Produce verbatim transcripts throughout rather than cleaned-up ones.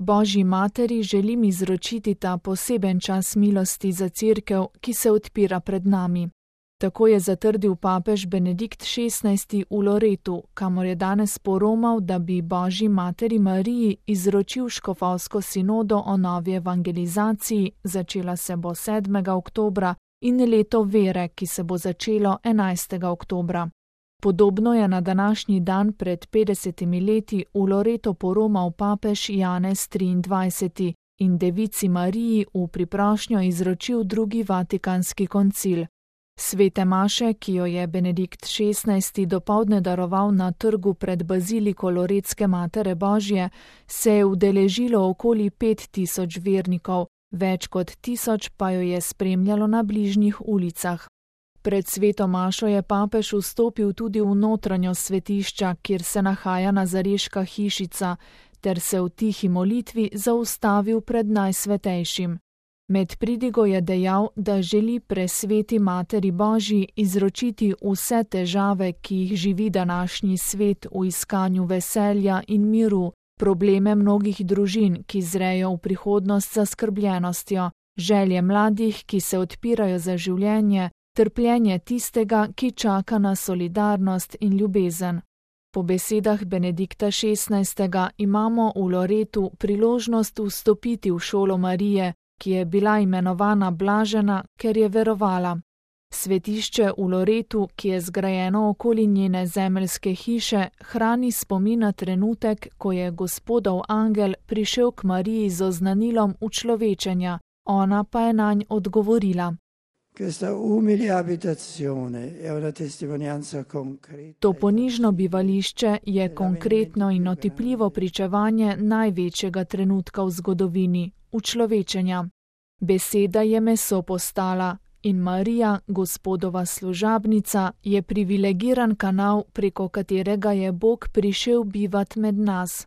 Božji materi želim izročiti ta poseben čas milosti za cerkev, ki se odpira pred nami. Tako je zatrdil papež Benedikt šestnajsti v Loretu, kamor je danes poromal, da bi Božji materi Mariji izročil škofovsko sinodo o novi evangelizaciji, začela se bo sedmega oktobra, in leto vere, ki se bo začelo enajstega oktobra. Podobno je na današnji dan pred petdesetimi leti v Loreto poromal papež Janez triindvajseti in devici Mariji v priprošnjo izročil drugi vatikanski koncil. Svete maše, ki jo je Benedikt šestnajsti dopoldne daroval na trgu pred baziliko Loretske Matere Božje, se je udeležilo okoli pet tisoč vernikov, več kot tisoč pa jo je spremljalo na bližnjih ulicah. Pred sveto mašo je papež vstopil tudi v notranjo svetišča, kjer se nahaja nazareška hišica, ter se v tihi molitvi zaustavil pred najsvetejšim. Med pridigo je dejal, da želi presveti Materi Božji izročiti vse težave, ki jih živi današnji svet v iskanju veselja in miru, probleme mnogih družin, ki zrejo v prihodnost z zaskrbljenostjo, želje mladih, ki se odpirajo za življenje, trpljenje tistega, ki čaka na solidarnost in ljubezen. Po besedah Benedikta šestnajstega imamo v Loretu priložnost vstopiti v šolo Marije, ki je bila imenovana blažena, ker je verovala. Svetišče v Loretu, ki je zgrajeno okoli njene zemeljske hiše, hrani spomin na trenutek, ko je Gospodov angel prišel k Mariji z oznanilom učlovečenja, ona pa je nanj odgovorila. To ponižno bivališče je konkretno in otipljivo pričevanje največjega trenutka v zgodovini, učlovečenja. Beseda je meso postala in Marija, Gospodova služabnica, je privilegiran kanal, preko katerega je Bog prišel bivat med nas.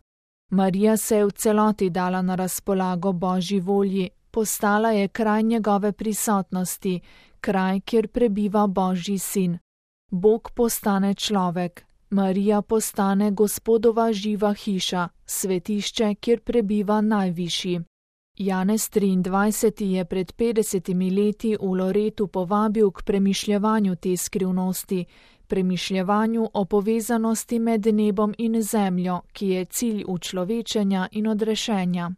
Marija se je v celoti dala na razpolago Božji volji, postala je kraj njegove prisotnosti, kraj, kjer prebiva Božji sin. Bog postane človek, Marija postane Gospodova živa hiša, svetišče, kjer prebiva najvišji. Janez triindvajseti je pred petdesetimi leti v Loretu povabil k premišljevanju te skrivnosti, premišljevanju o povezanosti med nebom in zemljo, ki je cilj učlovečenja in odrešenja.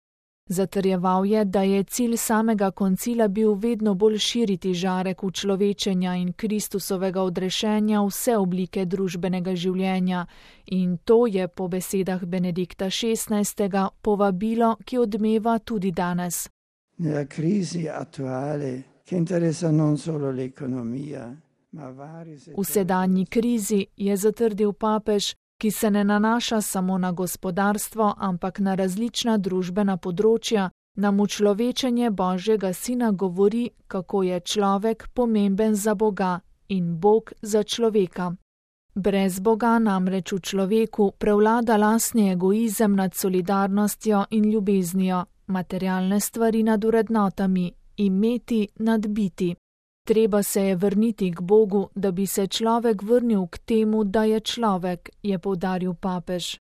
Zatrjeval je, da je cilj samega koncila bil vedno bolj širiti žarek učlovečenja in Kristusovega odrešenja vse oblike družbenega življenja, in to je po besedah Benedikta šestnajstega povabilo, ki odmeva tudi danes. V sedanji krizi, je zatrdil papež, ki se ne nanaša samo na gospodarstvo, ampak na različna družbena področja, nam učlovečenje Božjega sina govori, kako je človek pomemben za Boga in Bog za človeka. Brez Boga namreč v človeku prevlada lastni egoizem nad solidarnostjo in ljubeznijo, materialne stvari nad vrednotami, imeti nad biti. Treba se je vrniti k Bogu, da bi se človek vrnil k temu, da je človek, je poudaril papež.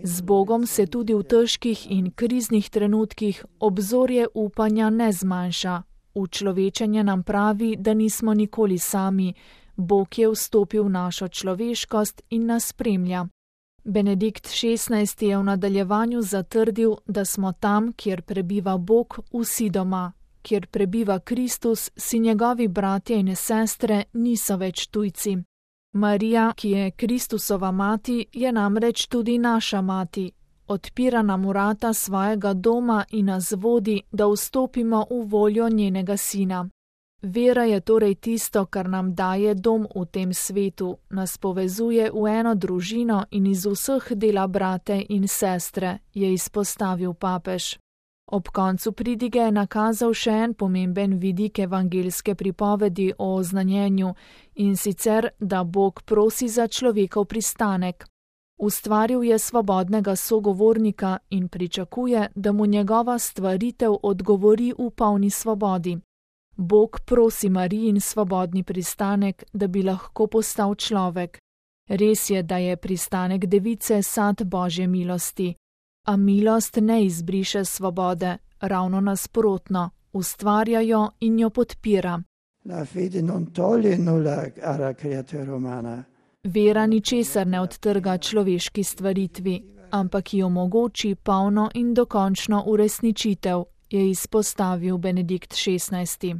Z Bogom se tudi v težkih in kriznih trenutkih obzorje upanja ne zmanjša. Učlovečenje nam pravi, da nismo nikoli sami, Bog je vstopil v našo človeškost in nas spremlja. Benedikt šestnajsti je v nadaljevanju zatrdil, da smo tam, kjer prebiva Bog, vsi doma, kjer prebiva Kristus, si njegovi bratje in sestre niso več tujci. Marija, ki je Kristusova mati, je namreč tudi naša mati. Odpira nam vrata svojega doma in nas vodi, da vstopimo v voljo njenega sina. Vera je torej tisto, kar nam daje dom v tem svetu, nas povezuje v eno družino in iz vseh dela brate in sestre, je izpostavil papež. Ob koncu pridige je nakazal še en pomemben vidik evangeljske pripovedi o oznanjenju, in sicer, da Bog prosi za človekov pristanek. Ustvaril je svobodnega sogovornika in pričakuje, da mu njegova stvaritev odgovori v polni svobodi. Bog prosi Marijin svobodni pristanek, da bi lahko postal človek. Res je, da je pristanek device sad Božje milosti, a milost ne izbriše svobode, ravno nasprotno, ustvarja jo in jo podpira. La fede non toglie nulla alla creatura umana. Vera ničesar ne odtrga človeški stvaritvi, ampak ji omogoči polno in dokončno uresničitev, je izpostavil Benedikt šestnajsti.